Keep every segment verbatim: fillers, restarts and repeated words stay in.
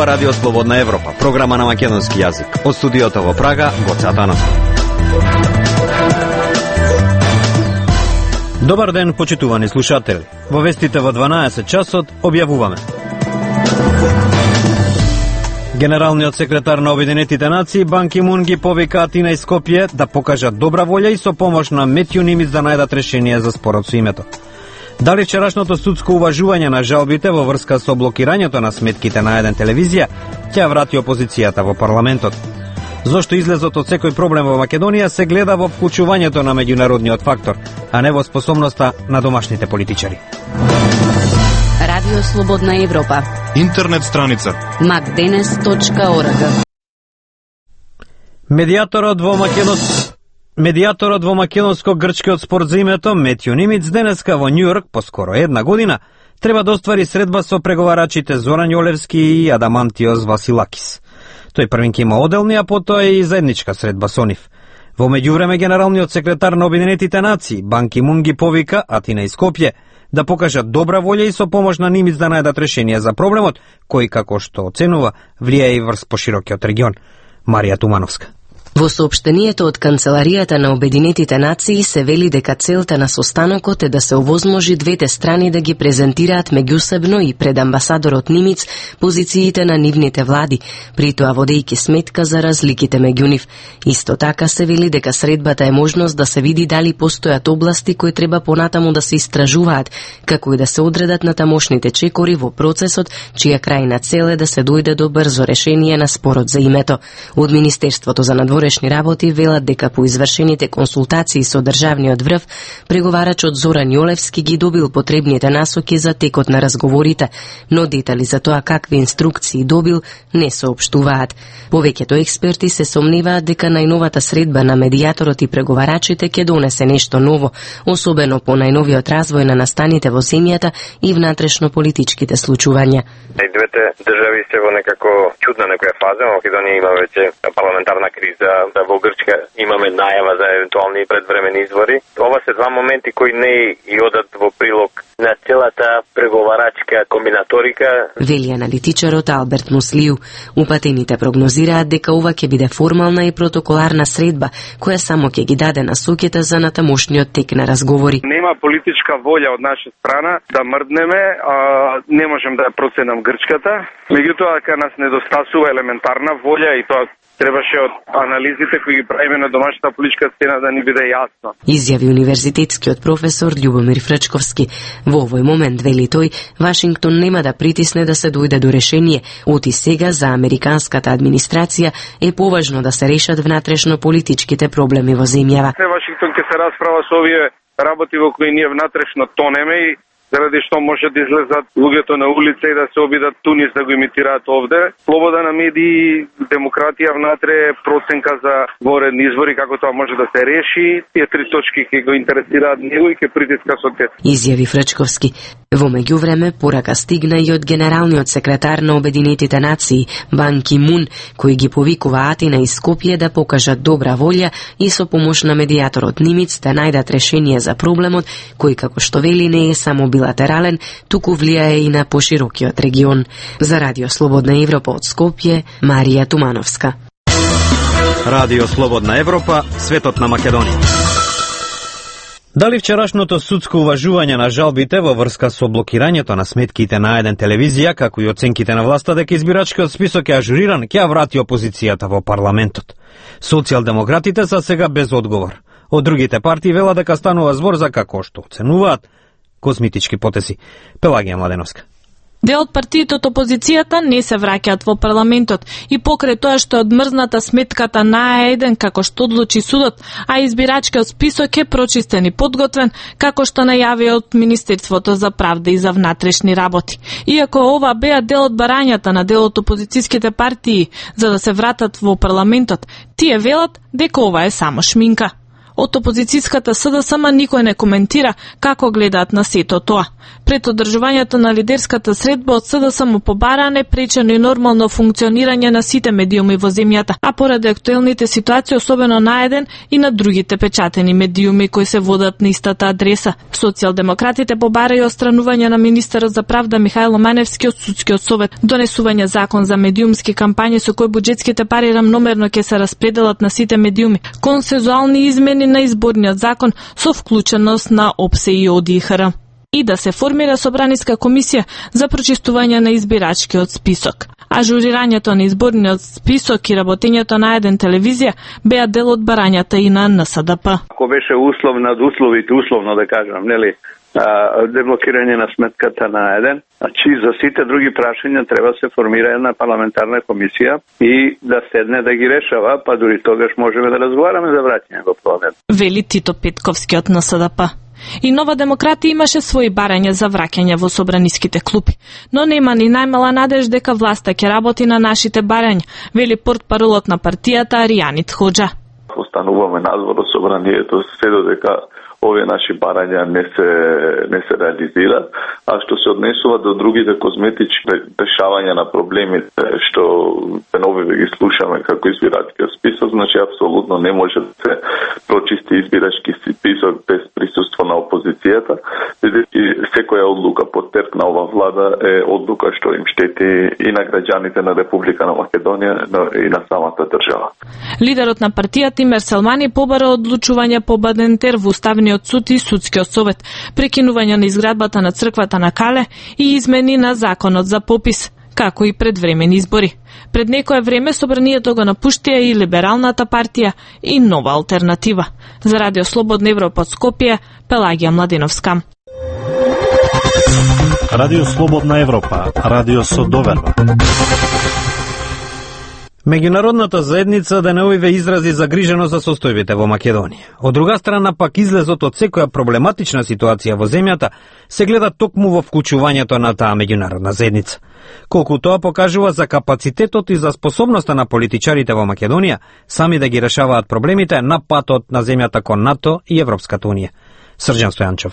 зборува Радио Слободна Европа, програма на македонски јазик. Од студиото во Прага, Гоце Атанасов. Добар ден, почитувани слушатели. Во вестите во дванаесет часот објавуваме. Генералниот секретар на Обединетите нации Бан Ки Мун ги повика Атина и Скопје да покажат добра волја и со помош на Метју Нимиц да најдат решение за спорот со името. Дали вчерашното судско уважување на жалбите во врска со блокирањето на сметките на еден телевизија ќе врати опозицијата во парламентот? Зошто излезот од секој проблем во Македонија се гледа во вклучувањето на меѓународниот фактор, а не во способноста на домашните политичари? Радио Слободна Европа. Интернет страница макденес точка орг. Медијаторот во Македонија Медијаторот во македонско-грчкиот спор за името Метју Нимиц денеска во Њујорк по скоро една година треба да оствари средба со преговарачите Зоран Јолевски и Адамантиос Василакис. Тој првин ќе има оделни, а потоа и заедничка средба со нив. Во меѓувреме генералниот секретар на Обединетите нации Бан Ки Мун ги повика Атина и Скопје да покажат добра волја и со помош на Нимиц да најдат решение за проблемот, кој, како што оценува, влијае и врз поширокиот регион. Марија Тумановска. Во соопштението од Канцеларијата на Обединетите нации се вели дека целта на состанокот е да се овозможи двете страни да ги презентираат меѓусебно и пред амбасадорот Нимиц позициите на нивните влади, при тоа водејќи сметка за разликите меѓу нив. Исто така се вели дека средбата е можност да се види дали постојат области кои треба понатаму да се истражуваат, како и да се одредат на тамошните чекори во процесот, чија крајна цел е да се дојде до брзо решение на спорот за името. Од Министерството за надворешни работи велат дека по извршените консултации со државниот врв, преговарачот Зоран Јолевски ги добил потребните насоки за текот на разговорите, но детали за тоа какви инструкции добил не соопштуваат. Повеќето експерти се сомневаат дека најновата средба на медијаторот и преговарачите ќе донесе нешто ново, особено по најновиот развој на настаните во земјата и внатрешно политичките случувања. И двете држави се во некако чудна некоја фаза. Македонија има веќе парламентарна криза, да во Грчка имаме најава за евентуални предвремени избори. Ова се два моменти кои не и одат во прилог на целата преговарачка комбинаторика. Вели аналитичарот Алберт Муслиу. Упатените прогнозираат дека ова ќе биде формална и протоколарна средба, која само ќе ги даде насоките за натамошниот тек на разговори. Нема политичка волја од наша страна да мрднеме, а не можем да ја проценам Грчката. Меѓутоа, дека нас недостасува елементарна волја и тоа требаше од анализите кои ги правиме на домашната политичка сцена да ни биде јасно. Изјави универзитетскиот професор Љубомир Фрчковски. Во овој момент, вели тој, Вашингтон нема да притисне да се дојде до решение. Оти сега за американската администрација е поважно да се решат внатрешно политичките проблеми во земјава. Вашингтон ќе се расправа со овие работи во кои ние внатрешно тонеме и заради што може да излезат луѓето на улица и да се обидат Тунис да го имитираат овде. Слобода на медии, демократија внатре, проценка за воредни избори, како тоа може да се реши. Тие три точки ќе го интересираат него и ќе притиска со те. Изјави Фрчковски. Во меѓувреме, порака стигна и од генералниот секретар на Обединетите нации, Бан Ки Мун, кој ги повикува Атина и Скопје да покажат добра волја и со помош на медијаторот Нимиц да најдат решение за проблемот, кој, како што вели, не е само билатерален, туку влијае и на поширокиот регион. За Радио Слободна Европа од Скопје, Марија Тумановска. Радио Слободна Европа, светот на Македонија. Дали вчерашното судско уважување на жалбите во врска со блокирањето на сметките на еден телевизија, како и оценките на власта дека избирачкиот список е ажуриран, ќе врати опозицијата во парламентот. Социјалдемократите са сега без одговор. Од другите партии вела дека станува збор за, како што оценуваат, козметички потези. Пелагија Младеновска. Дел од партиите од опозицијата не се враќаат во парламентот и покрај тоа што е одмрзната сметката на А еден како што одлучи судот, а избирачкиот список е прочистен и подготвен, како што најави од Министерството за правда и за внатрешни работи. Иако ова беа дел од барањата на дел од опозицијските партии за да се вратат во парламентот, тие велат дека ова е само шминка. Од опозицијската СДСМ никој не коментира како гледаат на сето тоа. Пред одржувањето на лидерската средба од СДСМ побараа непречено и нормално функционирање на сите медиуми во земјата, а поради актуелните ситуации особено на еден и на другите печатени медиуми кои се водат на истата адреса. Социјалдемократите побараја отстранување на министерот за правда Михајло Маневски од судскиот совет, донесување закон за медиумски кампањи со кој буџетските пари рамномерно ќе се распределат на сите медиуми, консензуални измени на изборниот закон со вклученост на ОПСЕ и ОДИХР и да се формира собраниска комисија за прочистување на избирачкиот список. Ажурирањето на изборниот список и работењето на еден телевизија беа дел од барањата и на НСДП. Ако беше услов над условите, условно да кажам, нели, деблокирање на сметката на еден, значи за сите други прашања треба да се формира една парламентарна комисија и да седне да ги решава, па дури тогаш можеме да разговараме за враќање во парламент. Вели Тито Петковски од НСДП. И Нова демократија имаше своји барања за враќање во собраниските клупи, но нема ни најмала надеж дека власта ќе работи на нашите барања, вели портпаролот на партијата Аријанит Хоџа. Остануваме надвор од собранието се додека овие наши барања не се не се реализираат, а што се однесува до другите козметички решавања на проблемите што деновиве ги слушаме како избирачкиот список, значи апсолутно не може да се прочисти избирачки список без присуство на опозицијата, бидејќи секоја одлука под терк на ова влада е одлука што им штети и на граѓаните на Република на Македонија, но и на самата држава. Лидерот на партијата Тимер Селмани побара одлучување по Бадентер во Уставниот суд и судскиот совет, прекинување на изградбата на црквата на Кале и измени на законот за попис, како и предвремени избори. Пред некое време собранието го напуштија и Либералната партија и Нова алтернатива. За Радио Слободна Европа од Скопје, Пелагија Младиновска. Радио Слободна Европа, радио со доверба. Меѓународната заедница денеувиве изрази загриженост за состојбите во Македонија. Од друга страна пак излезот од секоја проблематична ситуација во земјата се гледа токму во вклучувањето на таа меѓународна заедница. Колку тоа покажува за капацитетот и за способноста на политичарите во Македонија сами да ги решаваат проблемите на патот на земјата кон НАТО и Европската унија. Срđan Стојанчов.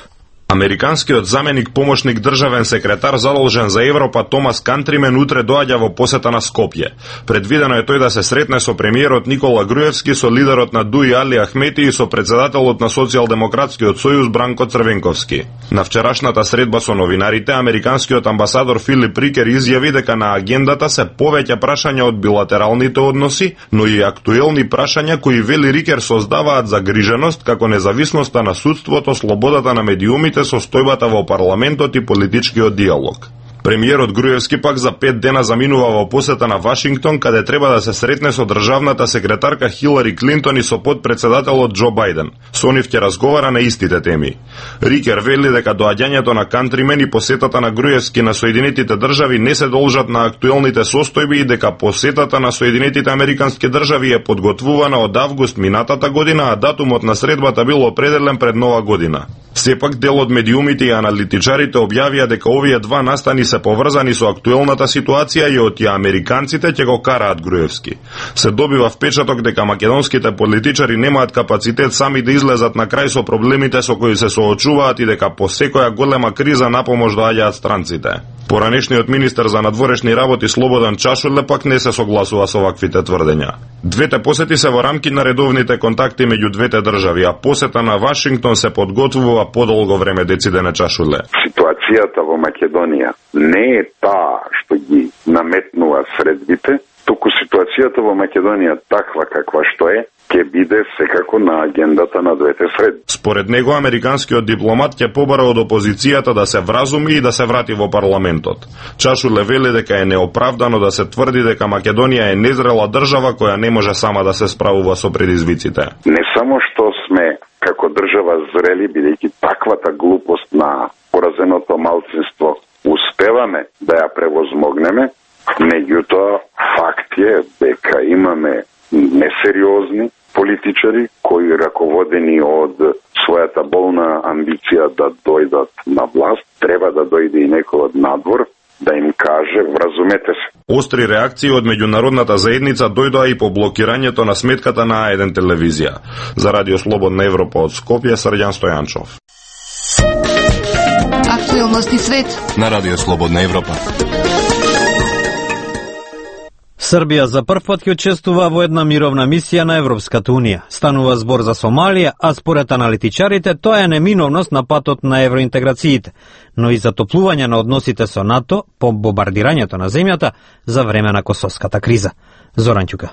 Американскиот заменик помошник државен секретар задолжен за Европа Томас Кантримен утре доаѓа во посета на Скопје. Предвидено е тој да се сретне со премиерот Никола Груевски, со лидерот на ДУИ Али Ахмети и со председателот на Социјалдемократскиот сојуз Бранко Црвенковски. На вчерашната средба со новинарите, американскиот амбасадор Филип Рикер изјави дека на агендата се повеќе прашања од билатералните односи, но и актуелни прашања кои, вели Рикер, создаваат загриженост како независноста на судството, слободата на медиумите, состојбата во парламентот и политичкиот диалог. Премиерот Груевски пак за пет дена заминува во посета на Вашингтон, каде треба да се сретне со државната секретарка Хилари Клинтон и со подпредседателот Џо Бајден. Со нив ќе разговара на истите теми. Рикер вели дека доаѓањето на Кантримен и посетата на Груевски на Соединетите држави не се должат на актуелните состојби и дека посетата на Соединетите американски држави е подготвувана од август минатата година, а датумот на средбата бил определен пред нова година. Сепак дел од медиумите и аналитичарите објавија дека овие два настани се поврзани со актуелната ситуација и од ја американците ќе го караат Груевски. Се добива впечаток дека македонските политичари немаат капацитет сами да излезат на крај со проблемите со кои се соочуваат и дека по секоја голема криза напомош доаѓаат странците. Поранешниот министер за надворешни работи Слободан Чашуле пак не се согласува со ваквите тврдења. Двете посети се во рамки на редовните контакти меѓу двете држави, а посета на Вашингтон се подготвува подолго време, децидене Чашуле. Ситуацијата во Македонија не е таа што ги наметнува средбите, туку ситуацијата во Македонија таква каква што е, ќе биде секако на агендата на двете средби. Според него, американскиот дипломат ќе побара од опозицијата да се вразуми и да се врати во парламентот. Чашуле вели дека е неоправдано да се тврди дека Македонија е незрела држава која не може сама да се справува со предизвиците. Не само што сме како држава зрели, бидејќи таквата глупост на поразеното малцинство успеваме да ја превозмогнеме, меѓутоа факт е дека имаме несериозни политичари кои, раководени од својата болна амбиција да дојдат на власт, треба да дојде и некој од надвор да им каже вразумете се. Остри реакции од меѓународната заедница дојдоа и по блокирањето на сметката на А еден телевизија. За Радио Слободна Европа од Скопје, Срđan Стојанчов. Актуелности свет на Радио Слободна Европа. Србија за прв пат ќе учествува во една мировна мисија на Европската Унија. Станува збор за Сомалија, а според аналитичарите тоа е неминовност на патот на евроинтеграциите, но и затоплување на односите со НАТО по бомбардирањето на земјата за време на косовската криза. Зоран Ќука.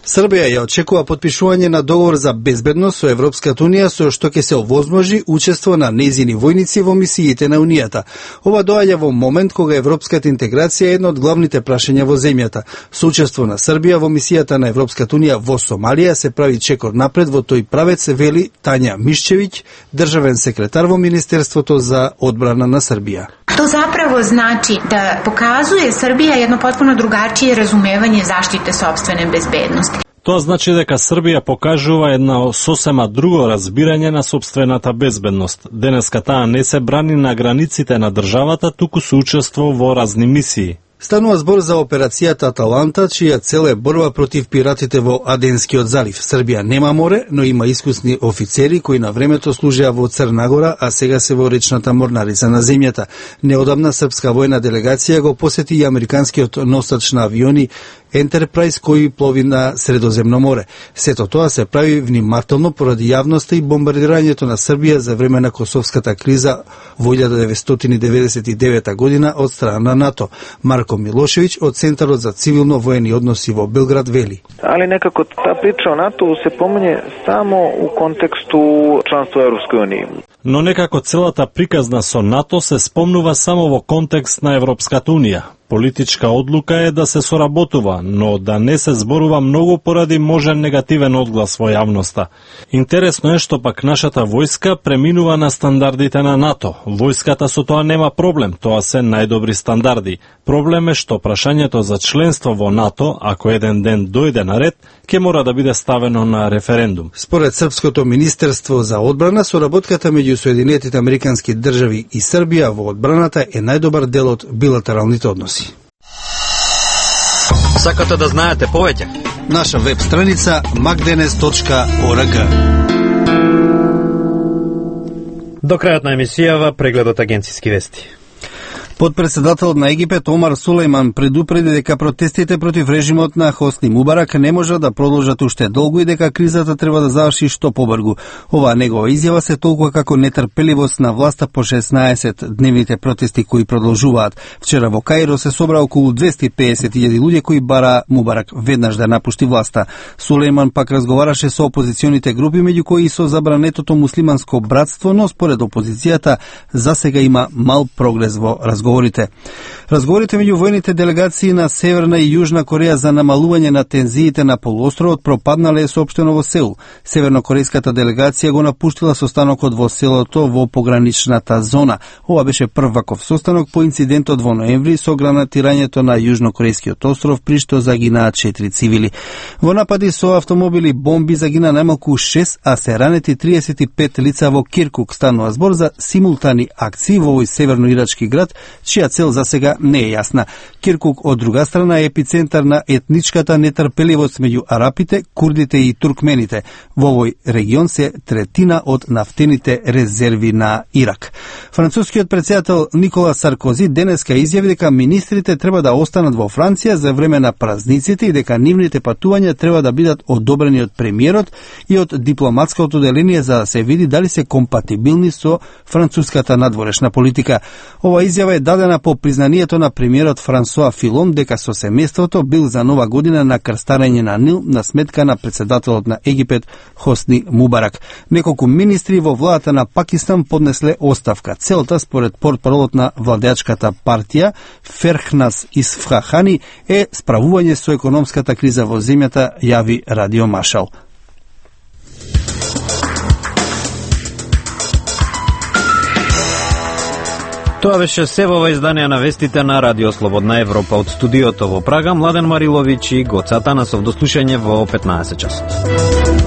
Србија ја очекува потпишување на договор за безбедност со Европската Унија со што ќе се овозможи учество на нејзини војници во мисиите на Унијата. Ова доаѓа во момент кога европската интеграција е едно од главните прашања во земјата. Со учество на Србија во мисијата на Европската Унија во Сомалија се прави чекор напред во тој правец, вели Тања Мишчевиќ, државен секретар во Министерството за одбрана на Србија. To zapravo znači da pokazuje Srbija jedno potpuno drugačije razumevanje zaštite sopstvene bezbednosti. Тоа значи дека Србија покажува една сосема друго разбирање на сопствената безбедност. Денеска таа не се брани на границите на државата, туку се учествува во разни мисии. Станува збор за операцијата Аталанта, чија цел е борба против пиратите во Аденскиот залив. Србија нема море, но има искусни офицери кои на времето служеа во Црна Гора, а сега се во речната морнарица на земјата. Неодамна српска војна делегација го посети и американскиот носач на авиони Ентерпрајз кој плови на Средоземно море. Сето тоа се прави внимателно поради јавноста и бомбардирањето на Србија за време на косовската криза во илјада деветстотини деветдесет и девета година од страна на НАТО. Марко Милошевиќ од Центарот за цивилно воени односи во Белград вели. Али некако таа прича о НАТО се помине само у контексту членство Европској унија. Но некако целата приказна со НАТО се спомнува само во контекст на Европската Унија. Политичка одлука е да се соработува, но да не се зборува многу поради можен негативен одглас во јавноста. Интересно е што пак нашата војска преминува на стандардите на НАТО. Војската со тоа нема проблем, тоа се најдобри стандарди. Проблем е што прашањето за членство во НАТО, ако еден ден дојде на ред, ќе мора да биде ставено на референдум. Според Српското министерство за одбрана, соработката меѓу Соединетите Американски држави и Србија во одбраната е најдобар дел од билатералните односи. Сакате да знаете повеќе? Наша веб страница макденес точка орг. До крајот на емисијава прегледот агенциски вести. Подпредседателот на Египет Омар Сулејман предупреди дека протестите против режимот на Хосни Мубарак не може да продолжат уште долго и дека кризата треба да заврши што побрзо. Оваа негова изјава се толкува како нетрпеливост на власта по шеснаесет дневните протести кои продолжуваат. Вчера во Каиро се собра околу двесте и педесет илјади луѓе кои бара Мубарак веднаш да напушти власта. Сулејман пак разговараше со опозиционите групи, меѓу кои и со забранетото муслиманско братство, но според опозицијата засега има мал прогрес во разговор. Разговорите. Разговорите меѓу војните делегации на Северна и Јужна Кореја за намалување на тензиите на полуостровот пропаднале е соопштено во Сеул. Севернокорејската делегација го напуштила состанокот во селото во пограничната зона. Ова беше прв ваков состанок по инцидентот во ноември со гранатирањето на Јужнокорејскиот остров, при што загинаа четири цивили. Во напади со автомобили бомби загина најмалку шест, а се ранети триесет и пет лица во Киркук. Станува збор за симултани акции во овој северноирачки град, чија цел за сега не е јасна. Киркук, од друга страна, е епицентар на етничката нетрпеливост меѓу арапите, курдите и туркмените. Во овој регион се третина од нафтените резерви на Ирак. Францускиот претседател Никола Саркози денеска изјави дека министрите треба да останат во Франција за време на празниците и дека нивните патувања треба да бидат одобрени од премиерот и од дипломатското одделение за да се види дали се компатибилни со француската надворешна политика. Ова изјава е дадена по признанието на премиерот Франсуа Филон дека со семејството бил за нова година на крстарење на Нил на сметка на претседателот на Египет Хосни Мубарак. Неколку министри во владата на Пакистан поднесле оставка. Целта, според портпаролот на владеачката партија Ферхнас Исфахани, е справување со економската криза во земјата, јави Радио Машал. Тоа беше се во ова издание на вестите на Радио Слободна Европа. Од студиото во Прага, Младен Мариловиќ и Гоца Танасов. До слушање во петнаесет часот.